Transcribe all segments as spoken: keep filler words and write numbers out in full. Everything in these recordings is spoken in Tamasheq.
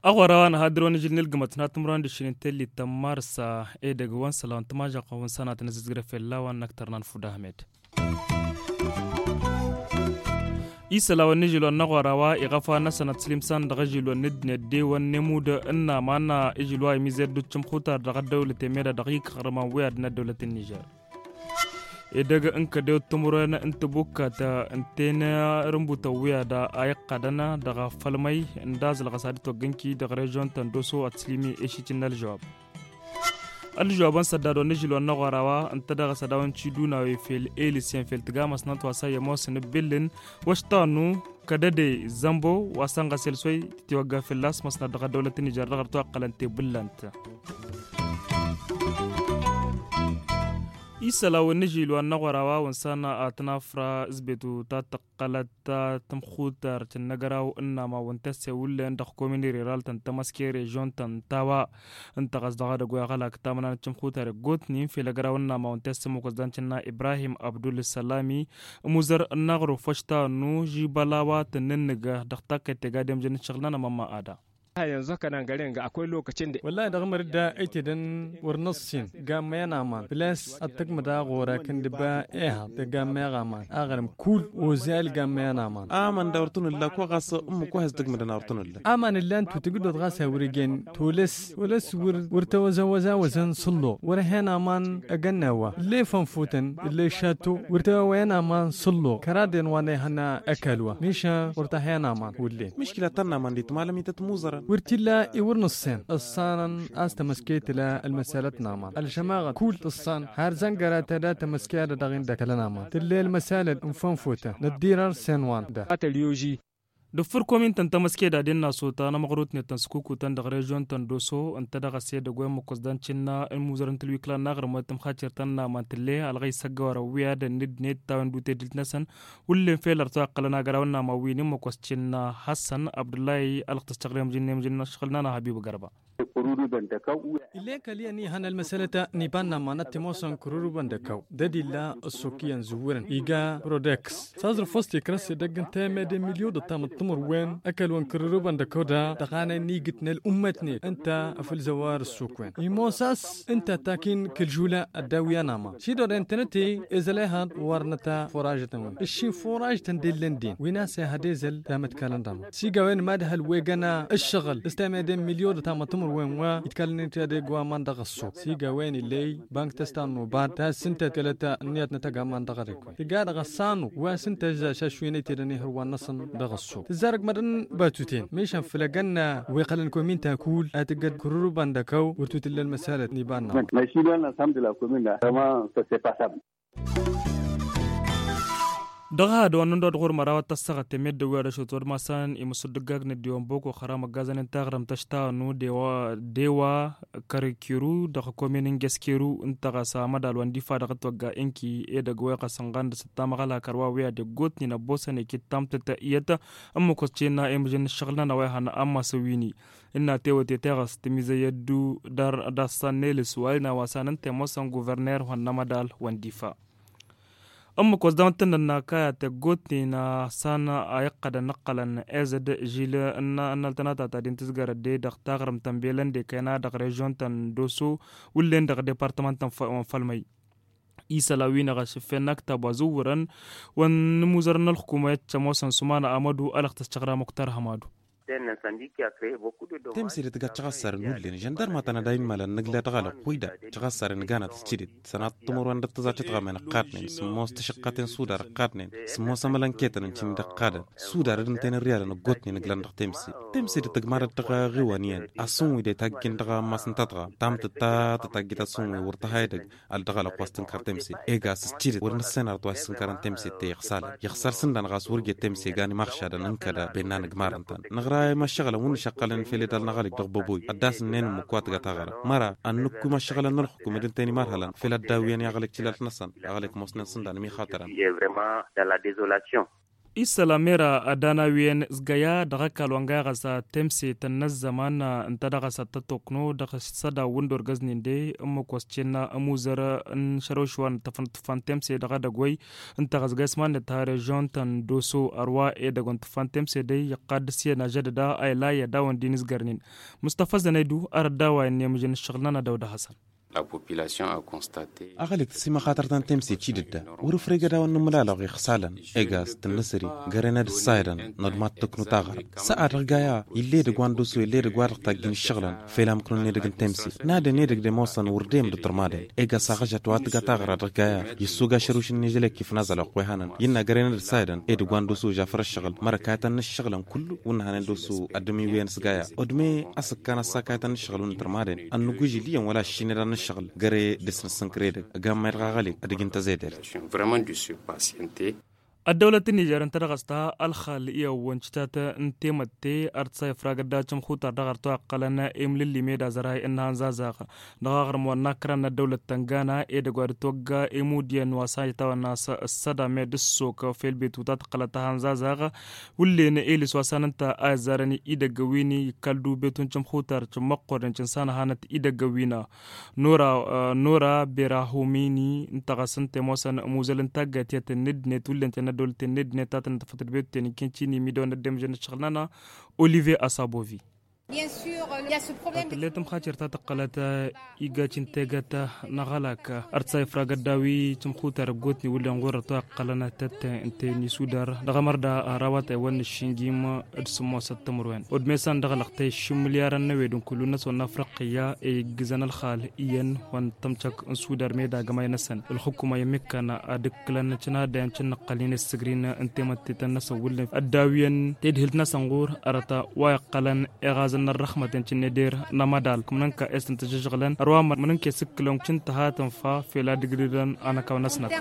Aɣora wa n-ahadǝr wa n-ažil n-ilgǝmăt n-ad-tǝmrăwăn d-aššin n-tellit ta n-marsa edăgg wa n-sălaw n-tǝmažăɣt wa n-sănatăn ăzizgrăf ella wa n-năktărnan fudahmed. Isălaw n-ažil wa n-aɣora wa iɣăfa n-asănăt slimsan dăɣ-ažil wa n-ǝddǝnet d-ewăn n-emud n-aman ažil wa imized d-uccǝmxutar dăɣ-ăddăwlăt emeda dăɣ-ikăɣrăman wi ad-n-ăddăwlăt n-nižer. Edăgg n-kădew timǝrwen n-tibukkat n-tenrǝmbutăn wi ad-a iqqadăn dăɣ-afălmăy n-dazǝlɣăs ad-dd-toggǝnki dăɣ-režion ta n-doso ad-tǝslǝmi ešitǝn n-ălžăwab. Ălžăwab n-săddad wa n-ažil wa n-aɣora wa ǝnta dăɣ-asădaw n-tidunawe fel elisyen fel tǝgamăsnăt wa s-a i-ămoosăn ǝbbillǝn wăštanu kădăde zămbo wa sănɣăs elsoy tǝtiwăgga fălla-s măsnăt dăɣ-ăddăwlăt n-nižer dăɣ-ărtu a ǝqqălăn tebullănt. Isălan wa n-ažil wa n-aɣora wa wăn s-ana ad-tăn-afra ǝzbetu ta tăqqălăt ta tămxutart n-agăraw n-ama wăn tăsse wullen dăɣ-komini riral tăn-tămăske režion tăn-tawa. Ǝnta ɣas dăɣ-edăgg wa iɣălak tamănanăt tămxutar iggotnen fel agăraw n-ama wăn tăsse măkosdan cǝnna ibrahim abdul sălami ămuzăr n-aɣrǝf wăšta nu žibăla wa tăn-nǝnnǝg dăɣ-takkăyt tega demjăn n-ašăɣǝl n-anămămma ada. Wăllahi dăɣ-măr-dd a ăytedăn wăr năṣṣin gammăyăn aman făl-a-s ad-tǝgmǝd aɣora kăndǝba ehăḍ tăgammăyăɣ aman aɣrǝm kull ozel gammăyăn aman. Aman da wăr tăn-ǝlla ko ɣas ǝmmǝk wa has-tǝgmǝdăn a wăr tăn-ǝlla. Aman ǝllan tutǝgǝdot ɣas a wăr-ijen tolăs wălăs wăr tăwăzăwăzawăzăn s-ǝlloɣ wăr-hen aman ăgănna wa ǝlley fănfutăn ǝlley šatto wăr tăwăwăyăn aman s-ǝlloɣ kăraden wa n-ehăn ăkall wa mišan wăr tăhen aman wăllen. Miškila ta n-aman d-itmalăm ităt muẓărăn. Wăr t-illa i-wăr nǝṣṣen ǝṣṣanăn a-s tămăske tǝla ălmăsalăt n-aman ălžămaɣăt kull tǝṣṣan har zăngăra ta da tămăske ad-dăɣ-in d-ăkălăn aman tǝlley ălmăsalăt n-fănfutăn năddirăr s-en wa n-da. Dăɣ-făr komintăn tămăske d-ad-innă sota n-amăɣrut-net tăn-sǝkukutăn dăɣ-režion tăn-doso ǝnta dăɣ-ăsedăgg wa i-măkosdan cǝnna n-imuzărăn tǝlwiklan n-aɣrǝmăt tǝmxacer-tăn n-aman tǝlle ălɣăy s-ăggăwărăn wi ad-ănnǝdnet tawăn d-utedǝlt-năsăn. Wullen fel ărtu a iqqălăn agăraw n-aman wi n-imăkos cǝnna hasăn abdullahi ălɣ tăššăɣlem jǝnnem jǝnna ăššăɣǝl n-ana habib gărba. Ill'-e kăl-iyyăn ihăn ălmăsălăt n-iba n-aman ad-t-imoosăn kărurǝbăn d-ăkkaw d-ădilla ăssok iyyăn zǝwwǝrăn iga prodeks s-aẓrǝf wa s-t-ikrăs edăgg ǝnta i-mede milyon d-ăttam d-timǝrwen ăkall wa n-kărurǝbăn d-ăkkaw da dăɣ-anay n-igǝt n-ălummătnet ǝnta afǝlzăwar ăssok-wen imoos a-s ǝnta takin kǝlžula ăddaw iyyăn aman šidor i-ǝntănăte ezăl ehăḍ wăr nǝta furažătăn-wen ǝššin furažătăn d-ellăn den win-a-s ehăd ezăl tamătkalăn d-aman s-iga a-wen mad-ehăl wegăn ǝššăɣǝl s-temede n-milyon d-ăttam d-timǝrwen wa itkalăn-in tedeg wa aman dăɣ-ăṣṣob s-iga a-wen illăy bank tăsta n-nubad ta s-ǝnta tǝlăt ǝnniyăt n-atăgg aman dăɣ-ărekwen tǝjja dăɣ-ăṣṣanu wa s-ǝnta ǝžžaš ašwin ăytedăn ihǝrwan-năsăn dăɣ-ăṣṣob tǝzzarăg mădăn batuten mišan făll-egănna wi iqqălăn kominta kull a tǝggăd kărurǝbăn d-ăkăw wăr tutǝllăn măsalăt n-iba n-aman. Dăɣ-ehăd wa n-ăndod ɣur-măraw ad-tăssăɣăt temeddǝw wi ad-ăšot wăr masăn imǝsudǝggag n-ăddiwăn boko xăram ăggazăn-in taɣrǝmt ăštawăn n-udewa dewa kărkiru dăɣ-komin n-geskeru ǝnta ɣas amădal wa n-difa dăɣ-ătwăgga inki edăgg wa iɣăs ǝnɣan dăɣ-s ăttamăɣăla kărwa wi ad-iggotnen ăbboosăn ikǝttam tǝttă'iyăt ǝmmǝk wăt-tinna i-mǝžăn n-ǝššăɣǝl-nănăɣ wa ihănna ammas ăwwini. Ǝnna tewăte teɣăst mizăy ăddu dar d-assan n-elǝs wa ǝlna wa s-anăn temoosăn guverner wa n-amădal wa n-difa. Ǝmmǝk wa s-dăɣ-măttăn n-ănnakayat ăggootnen a san a iqqădăn ǝqqălăn ezăd žil n-ănnăltăn a tatadin tǝzgărăt de dăɣ-taɣrǝmt n-belăn dekăyna dăɣ-režion ta n-doso wullen dăɣ-departămănt n-fălmăy. Isălan wi n-aɣăšǝffen n-aktab wa zǝwwărăn wa n-imuzărăn n-ălxukuma i-ad-tămoosăn sumana amădu ălăɣ tăščăɣra muktar hămadu. Temsedet ga căɣassarăn wullen žăndărma tăn-ad-a inmalăn nǝgla dăɣ-alăɣ wi da căɣassarăn ǝganăt s-tidǝt sănat timǝrwen dăɣ-tăẓačăt ɣamăn ǝqqadnen sǝmmos tăšăqqaten sudar ǝqqadnen sǝmmos amălănketăn n-timǝdăqqadăn sudar d-ǝnta i-nǝrriyalăn ǝggotnen ǝglăn dăɣ-temse. Temse d-tăgmadăt dăɣ-aɣiwan iyyăn asǝnwi de tajjin dăɣ-ammas n-tătɣa tamtăt ta tătajjit asǝnwi wăr tăha edăgg. Al dăɣ-alăɣ wa s-tǝnkăr temse ega s-tidǝt wăr nǝssenăr a-wa s-tǝnkărăn temse te iɣsalăn iɣsar sǝndan ɣas wăr jet temse gan imaɣšadăn ǝnkăd a benna nǝgmarăn-tăn nǝɣra imăššăɣǝlăn wǝnnǝšăqqălăn fel edal n-aɣălek dăɣ-băboy ad-dd-asǝnnen ǝmmǝk wa tǝgăt aɣrăm măra ănnukku imăššăɣǝlăn n-ălxukum d-ǝnta i-n-imarhălăn fel ăddawǝyăn i-aɣălek cǝlalt-năsăn aɣălek ămoosnen sǝndan ămiixatărăn. Isălan mera ad-ana-wi-en s-găya dăɣ-ăkall wa n-găya ɣas temset n-ăzzăman ǝnta dăɣ-s ad-tăt-okno dăɣ-s sădaw wǝndor găznen de ǝmmǝk wa s-cennă ămuzăr n-išărăwš wa n-tăfăn tǝffan temse dăɣ-edăgg wăy. Ǝnta ɣas găy s-mannăt ha režion ta n-doso ărwa edăgg wa n-tǝffan temse de iqqad dăr-s i-ănažădăd a ila i-ad-awăn d-inǝzgărnen. Mustăfa zănăydu arăt d-a-wa innă i-mǝžăn ǝššăɣǝl-nănăɣ dăw-dăɣ hasăn. Aɣălik tăsimăxatăr ta n-temse cidǝdda wăr-ǝfregăd a-wa n-inǝmlalăɣ iɣsalăn. Egaz tǝnnǝsări găren ad-ǝssayădăn n-ad-mad-tǝknu taɣrăt s-a dăɣ-gaya ill'-edăgg wa n-doso ill'-edăgg wa dăɣ-tajjǝn ǝššăɣǝlăn. Fel amkǝnăn edăgg n-temse n-ad-ănn edăgg d-ămoosăn wăr dăyăm d-tărmadăn. Egaz saɣăžăt wa tǝgga taɣra dăɣ-gaya. Issug ašăruš n-ežălek ifnazălăɣ wa ihanăn innă găren ad-ǝssayădăn edăgg wa n-doso žafăr ǝššăɣǝl mărăk a ităn n-ǝššăɣǝlăn kullu wǝnnăhănen doso ăddǝmiwen s-gaya. Odme a-s ǝkkan ăssakayătăn n-ǝššăɣǝl wǝnnă tărmadăn ănnăgg wi žiliyăn wăla aššinăd ad-nǝššăɣǝl găre dăr-s nǝssǝnkăr edăgg. Gam ma i-dăɣ aɣălek ad-ǝjǝn tăzedert. Vraiment de se patienter. Ăddăwlăt n-nižer ǝnta dăɣ-s ta ălxal i-awwăn cǝtat n-temătte ar t-sa ifragăt da cǝmxutar dăɣ-arăt wa ǝqqălăn imlǝlli meda zăray n-hanzazaɣ. Dăɣ-aɣrǝm wa n-akran n-ăddăwlăt tăngana edăgg wa dd-togga imudiyăn wa s-a itawăn n-a-s ǝssăda med ǝssok fel betu ta tǝqqălăt hanzazaɣ. Wǝllen elis wa s-a n-ǝnta a izzarăn idăgg wi n-ikkăl du betu n-cǝmxutar cǝmmăqqoren cǝnsanăhanăt idăgg wi n-a nora bera homini n-tăɣăs n-temosăn muzăl n-taggayt i-ad-tăn-dd-net wǝllen tenădolten n-dd-net ta tăn-tăfăt d-betuten iken cini midăwăn ăddemžăn n-ǝššăɣǝl-nănăɣ. Oliver asabovi. Tăt-tǝllet ǝmxacer ta tăqqălăt igacin tegăt n-aɣălak ărsa ifragăt dawi cǝmxutar ăggotni wǝllen ɣur-ătwa ǝqqălăn tăt-ten ǝnta i-nisudar dăɣ-amărda. Arawat ewăn n-ǝššǝnjim d-sǝmmosăt timǝrwen odmesan dăɣ-lăɣtăy šimǝlyarăn n-ewed n-kullu-năsăn n-afriqiyya i-iggǝzăn ălxal iyyăn wa n-tămcăk n-sudar meda gămay-năsăn ǝlxǝkuma i-mekkan ad-ǝkkǝlăn cǝnadăyăn cǝnnăqqălnen i-ǝssǝgrin n-temăttetăn-năsăn wǝllen ăddawiyăn tedhǝlt-năsăn ɣur-arăt wa iqqălăn iɣazăn n-ărrăxmăten cǝnneder n-amădal kǝmnăn ka estăn tăžžăžɣǝlăn ărwa mănăn ke s-ǝkkǝlăn cǝntăha tǝnfa fel ad-ǝgridăn anăkaw-năsnăt.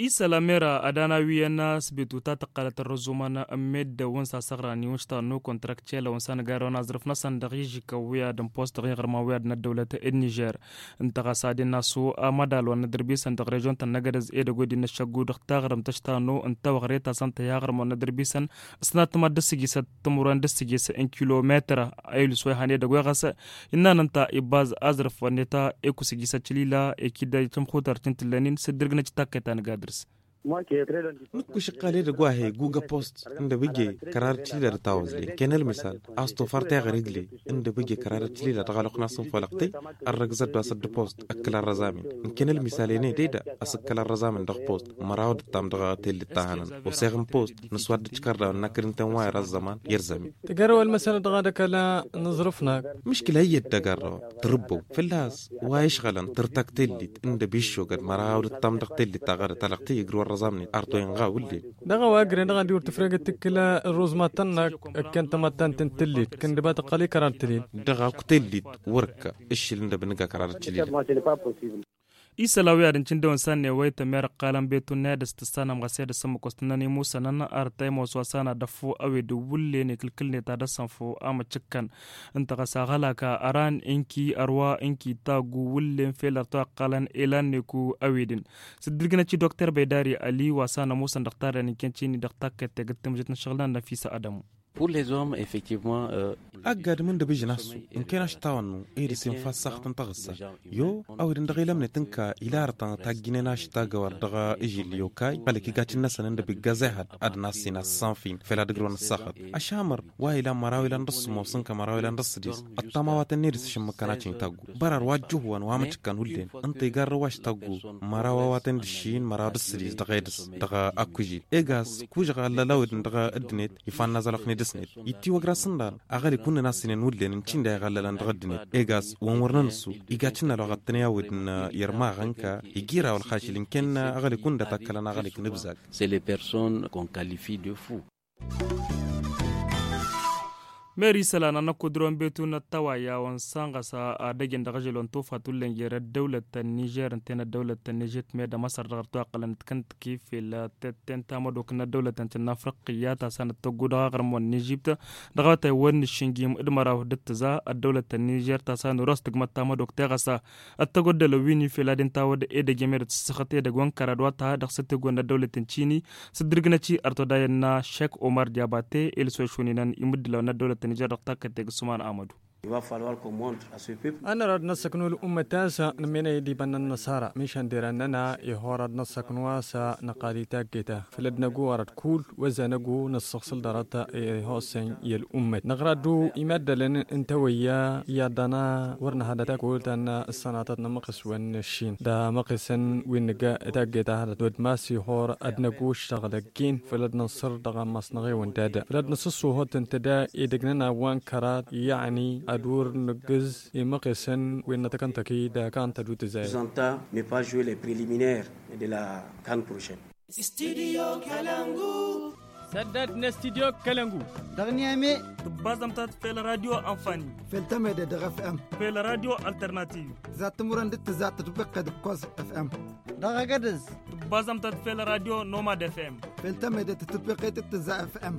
Isălan mera ad-ana-wi ănnas betu ta tăqqălăt ărrăzumăn n-meddǝwăn s-asăɣran iwǝnš ta n-okontrak celăwăn s-anăgarrăwăn aẓrǝf-năsăn dăɣ-ižikăw wi ad-ǝnpost dăɣ-iɣrǝma wi ad-năddăwlăt d-nižer. Ǝnta ɣas ad-inna s-amădal wa n-nădărbisăn dăɣ-režion ta n-năgădăz edăgg wi d-inăššăggu dăɣ-taɣrǝmt ăštanu n-tawăɣret a-s ănta i-aɣrǝm wa n-nădărbisăn s-natăma d-ǝssǝjisăt timǝrwen d-ǝssǝjis n-kilometăr a ilǝs wa ihan edăgg wa ɣas. Innăn ǝnta ibaz aẓrǝf wa n-eta ekusǝjis ăčlila ekid-ăj tǝmxutăr ti n-tǝllănin s-dd-ǝrgǝnăj takkăy ta nǝga dăr-s. Nǝkkuš ǝqqal edăgg wa he-gugă post ǝndăbǝje kărar ăčlila d-tawăzle ǝnken ălmisal a-s tofar teɣăr igle ǝndăbǝje kărar ăčlila dăɣ-ălwăqq n-asǝnfolăɣtăy. Ărrăgzăt d-wa s-dd-post ǝkkǝl ărrăzamin ǝnken ălmisal-en ed eda a-s ǝkkǝl ărrăzamin dăɣ-post măraw d-ǝttam dăɣ-tellit ta hănăn oseɣ n-post nǝswad d-ǝčkărdaw n-inăkkăd ǝnta i-inwa ira ăzzăman i-ărzamin. Tǝgărrăw ălmăsănăt dăɣ-ad-ăkăla n-aẓrǝf-năk. Mǝškǝla iyyăt tăgărrăw tărǝbbăw fălla-s wa išɣălăn tǝrtăk tellit ǝndăb iššogăd măraw d-ǝttam dăɣ-tellit ta ɣărăt alăɣtăy ǝgrǝw ărrăẓamnen artoyăn ɣa wǝllen. Dăɣ-a-wa ǝgrǝn dăɣ-ad-iwǝr tǝfregăt tǝkkǝla ărruzmatăn-năk ǝkken tamăttant n-tellit kǝndǝba tǝqqăl i-kărar tǝlil. Dăɣ-akk tellit wăr-ǝkka ǝššǝl ǝndăb n-ǝgga kărar tǝlil. Isălan wi ad-ǝncǝndăwăn s-ad-newăy tămerăqqalăn betun n-ad-ăstăssanăm ɣas i-ad-ăssămmăkos tǝnnăn imusănăn ar ta imoos wa s-an ad-ăffu ăwed wǝllen ikǝlkǝlnet ad-ăssănfu amăččǝkkăn. Ǝnta ɣas aɣălak ăran inki ărwa inki taggu wǝllen fel ar ta wa ǝqqalăn elan neku ăwedǝn. S-dd-ǝlgǝnăt i-dokter baydari ali wa s-an ămusăn dăɣ-tarren inkăncini dăɣ-takkăt tegǝt tǝmjăt n-ašăɣǝl n-ad-năfisa ădămu. Ăgg-adǝm ǝndăb ǝžǝn assu ǝnken aštawăn-nu ed ăsinfa ăssaxăt n-taɣǝssa. Yo ăwedǝn dăɣ-ilămnet ǝnka ila arătăn tajjǝnen aštagăwăr dăɣ-ižǝl i-okay balăk igacǝn-năsăn ǝndăb iggaz ehăd ad-nasin assanfin fel ad-ǝgrǝwăn ăssaxăt. Ašamăr wa ilan măraw ilan d-ăṣṣumos ǝnka măraw ilan d-ăṣṣǝdis ăṭṭam a-wa tăn-ed s-ašǝmmǝkăn acinta aggu. Bărar wa ăjjǝhwăn wa măčkăn wǝllen ǝnta igarrăw aštaggu măraw a-wa tăn-dd-ǝššin măraw d-ăṣṣǝdis dăɣ-edǝs dăɣ-akkužil. Egas kužăɣ allăl awǝdǝn dăɣ-ăddinăt ifa n-nazălăɣ n-edǝsnet. Itti wăgg-ra s-ǝnḍan aɣălik wǝnnăn a-s ǝnen wǝllen ǝncǝnda iɣăllălăn dăɣ-ăddinăt egas wăn wăr năn-ǝssu. Iga cǝnnal wa ɣăttăn i-awǝdǝn irmaɣ ǝnka igi iraw ălxašǝl ǝnken aɣălik wǝnda takkălăn aɣălik n-ǝbzag. C'est les personnes qu'on qualifie de fou. Meri isălan anăkudrăwăn betu n-ăttăwayya wa n-sanɣăs ad-ăjăn dăɣ-ažăl wa n-tufa tullăn jer-ăddăwlăt n-nižer ǝnta-en ăddăwlăt n-ežit meddă măsăr dăɣ-ărtawăqqălăn d-kăntăki fel tetten tamădok n-ăddăwlăt n-tǝnnafrăqqǝyya ta s-anăt-tăggu dăɣ-aɣrǝm wa n-ežibt dăɣ-awătay wa n-išǝnjim d-măraw d-ǝttǝza ăddăwlăt n-nižer ta s-anăros tǝgmăt tamădok teɣăsa ăttăgoddălăn wi n-ifel ad-inta wăr edăgg i-meddǝt s-săxăt edăgg wa n-kăra d-wa t-ha dăɣ-s ăttegwăn n-ăddăwlăt n-tini s-ǝddǝrǝgnăt-i ărtodayăn n-aššek omar diabate i-lăsošwănenăn imǝddǝlăwăn n-ăddăwlăt n-nižer dăɣ-takkăt tegg s-uman amădu. Ănăra ad-năssăknu ăl'ummăt a-s nǝmmenăy d-iba n-ănnăṣara mišan deran-nănăɣ ihor ad-năssăknu a-s năqqal i-taggeta făll-ad-năggu arăt kull wăzza năggu năssăɣsǝl dăr-ătt ihosăn i-ăl'ummăt năɣraddu imaddălăn n-tawăyya i-ad-dăna wăr nǝhădăt akul ta n-ăṣṣănatăt n-amăqes wa n-ăššin d-amăqesăn wi n-nǝgga taggeta hădăt wăr d-mas ihor ad-năggu ǝššăɣǝl ăgg-in făll-ad-nănṣăr dăɣ-ammas-năɣ ewăn d-ad-făll-ad-năsǝṣṣuhăt ǝnta d-edăgg-nănăɣ wa n-kărat yăɣni ad-wăr nǝggǝz imăqesăn wi n-nătăkăntăki d-akantădu tǝzayăt. Zănta ne pas jouer les preliminaires de la can prochaine. Studio kalangu. Săddad n-studio kalangu. Dăɣ-niyame. Tǝbbaẓăm-tat fel radio anfani. Fel temede dăɣ-fm. Fel radio alternativ. Tǝzat timǝrwen d-tǝzat tǝtbăqqe d-kkoẓ fm. Dăɣ-agădǝz. Tǝbbaẓăm-tat fel radio nomad fm. Fel temede tǝtbăqqe d-tǝzat fm.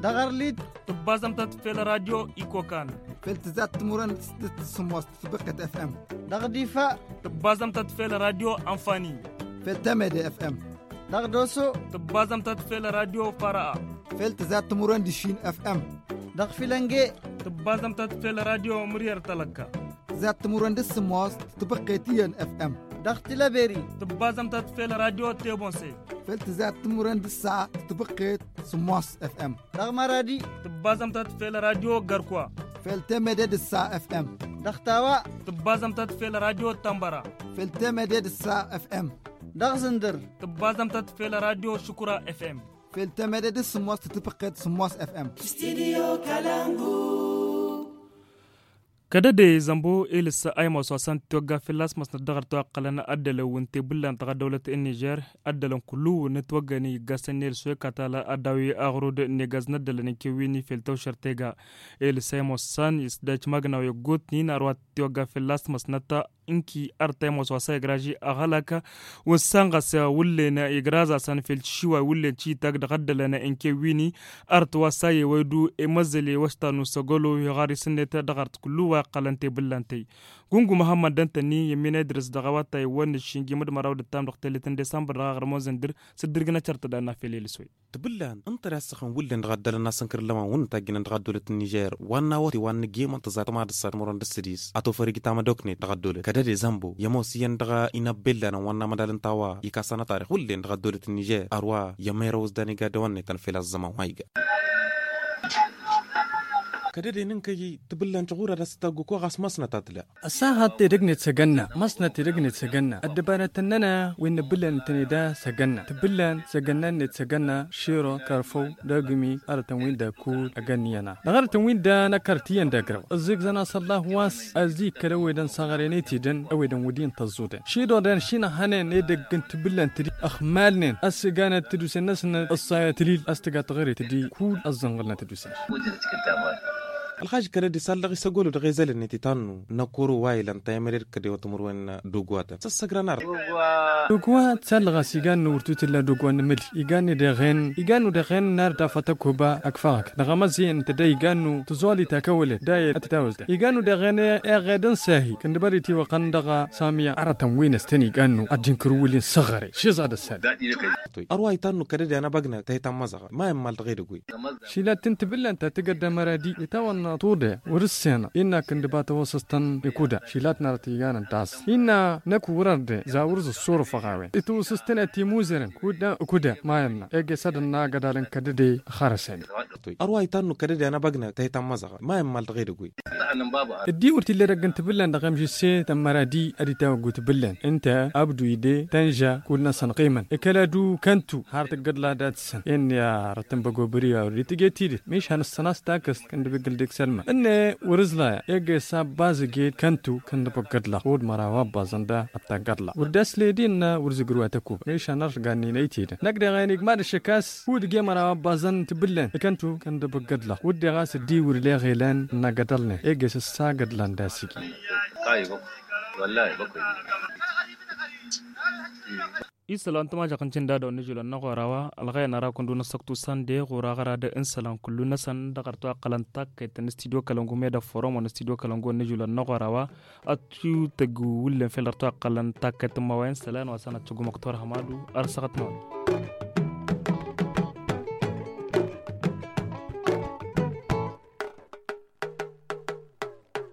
Dăɣ-arlit. Tǝbbaẓăm-tat fel radio ikokan. Fel tǝzat timǝrwen d-sǝmmos tǝtbăqqe d-fm. Dăɣ-difa. Tǝbbaẓăm-tat fel radio anfani. Fel temede fm. Dăɣ-doso. Tǝbbaẓăm-tat fel radio fara'a. Fel tǝzat timǝrwen d-išin fm. Dăɣ-filănge. Tǝbbaẓăm-tat fel radio mǝryăr talăkka. Tǝzat timǝrwen d-sǝmmos tǝtbăqqe d-iyyăn fm. Dăɣ-tilăberi. Tǝbbaẓăm-tat fel radio tebonse. Fel tǝzat timǝrwen d-ǝssa tǝtbăqqe d-sǝmmos fm. Dăɣ-maradi. Tǝbbaẓăm-tat fel radio gărkwa. Fel temede d-ǝssa fm. Dăɣ-tawa. Tǝbbaẓăm-tat fel radio tambăra. Fel temede d-ǝssa fm. Dăɣ-zǝndǝr. Tǝbbaẓăm-tat fel radio šukura fm. Fel temede d-sǝmmos tǝtbăqqe d-sǝmmos fm. Studio kalangu. Kădăde zămbo elǝs a imos wa s-an tiwăgga fălla-s măsnăt dăɣ-ărtawăqqălăn ăddălăn wi n-tebǝllan dăɣ-ăddăwlăt n-nižer. Ăddălăn kullu wa n-ǝtwăggăn iggassăn n-elǝs wa ikatala ăddaw i-aɣrud n-egaz n-ăddălăn n-kewwini fel tawšăr tega. Elǝs a imos s-an isdăj magnaw i-ăggootnin ărwa tiwăgga fălla-s măsnăt. Ǝnki ărtăy mos wa s-a igraži aɣălak wa n-sănɣăs wullen igrazasăn fel tišiway wullen cităg dăɣ-ăddălăn n-kewwini. Ărt wa s-a iwăydu i-măzzăl i-wăštan n-usăgălo iɣar isǝnnet dăɣ-ărt kullu wa iqqălăn tebǝllan-tăy. Gungu măhămmăd dăntănni i-ămminăy dăr-s dăɣ-awătay wa n-ǝššin jimǝd măraw d-ǝttam dăɣ-tellet n-desămbăr dăɣ-aɣrǝm wa n-zǝndǝr s-dd-irgǝnăt cărtăd anafel i-lǝswăy. Tǝbǝllan ǝnta d-assăɣăn wullen dăɣ-ăddălăn n-asǝnkăr n-lăman wǝnnǝtajjǝnen dăɣ-ăddăwlăt n-nižer wa n-awăte wa n-nǝjjemăn tǝẓatăm ad-ǝssa timărwen d-ǝssǝdis ad-tofăr ijtamădoknet dăɣ-ăddăwlăt kădăde zămbo i-ămoos iyyăn dăɣ-inăbbellan wa n-amădal n-tawa ikasăn atarix wullen dăɣ-ăddăwlăt n-nižer ărwa i-ămăyrăw s-dan iga dăwănnetăn fel ăẓẓăman wa iga. Kădăde n-inkăy tǝbǝllan căɣurad a-s tăggu ko ɣas măsnăt a tǝla. Ăssaɣăt edăgg-net s-agănna măsnăt edăgg-net s-agănna ăddăbanăt tăn-năna wi n-nǝbbǝllan tăn-eda s-agănna tǝbbǝllan s-agănna-net s-agănna širo kărfăw d-agǝmi arătăn-win-dăɣ kud ăgănniyăn-a dăɣ-arătăn-win-dăɣ n-ăkărt iyyăn d-agraw ǝzzigzăn a-s ăllah wa s-ăzzig kăl-ăwedăn săɣrăyăn i-tidǝn ăwedăn wădden tăẓẓudăn šidodăn šinăhănen edăgg n-tǝbbǝllan tǝddi ăxmalnen ăssiganăt tădusen-năsnăt ăṣṣayăt lil a-s tǝga tăɣre tǝddi kud ăẓẓănɣǝlnăt tădusen. Ălxaž kădăde s-allăɣ isăgolo dăɣ-ezăl-net itannu n-ăkoro wa ilăn tayămăre d-kădewăt timǝrwen dogwatăn s-ăssăgran arăt. Dogwat s-allăɣ a-s igannu wăr tutǝlla dogwat n-emǝli igannu deɣen igannu deɣen n-arăt afăt ăkkoba ăkfăɣăk dăɣ-amăzzen tădda igannu tǝẓoli takăwălet dayăt ad-t-tawăzda igannu deɣen eɣed n-sahi kăndăbări tiwăqăn dăɣ-samiya arătăn wi n-ăstăn igannu ad-dd-inkăr wǝlin săɣăre šiẓa d-ăssan. Ărwa itannu kădăde anăbăgnăt tayta n-măẓăɣăt ma immal dăɣ-edăgg wi. Šilat n-tibǝllan ta tǝgădda măradi itawănna tude wăr-ǝssenă innă kǝndǝba tawăsăstăn ikuda šilat n-arăt iganăn tasă innă năkk wăr-ărde zawăr zǝssurăfăɣ a-wen itwăsăstăn a timuzărăn kuda kuda mayănna ege s-ad-ănna agădalăn kădăde ăxarăsăne. Ărwa itannu kădăde anăbăgnăt tayta n-măẓăɣăt ma immal dăɣ-edăgg wi. Ăddiwăr t-illa edăgg n-tibǝllan dăɣ-emžǝsse tămmăradi ad-itawăggu tibǝllan ǝnta abdu ide tănža kull-năsăn ɣimăn ikăladu kăntu har tǝggăḍ lada tǝssăn inn'-i arăt n-băgobări a wăr-dd-tǝje tidǝt mišhan ǝssăn a-s takăst kăndăbăggǝl dik. Sălmăn ǝnne wăr-ǝẓlaya egg-e s-abbazăg-ed kăntu kănnăbăggădlăɣ ɣud măraw abbaẓăn da ăttaggaḍlăɣ wăr dd-asled innă wăr-zǝgrǝw ad-tăkubăɣ meša n-arrăgan-in ăytedăn năkk deɣ a-wen igmad ăššăk a-s hud ǝgg'-e măraw abbaẓăn tǝbǝllen. Kăntu kănnăbăggădlăɣ wăr deɣ a-s dd-iwǝr leɣ elăn n-agădălnen egg-e s-ăssagădlan d-asǝgi. Isălan tămažăɣt n-tindadăw n-ažulăn n-aɣora wa ălɣăyăn ara kăndu n-ăssăktu sănde ɣur-aɣăra d-insălan kullu-năsăn dăɣ-ărtăwăqqălăn takkăyt n-studio kălăngu med-ăfforomăn studio kălăngu n-ažulăn n-aɣora wa. Ad-t-tăgg wǝllen fel ărtăwăqqălăn takkăyt n-imawăyăn isălan wa săn ad-tăggumăɣ turhămadu. Ărsăɣăt n-awăl.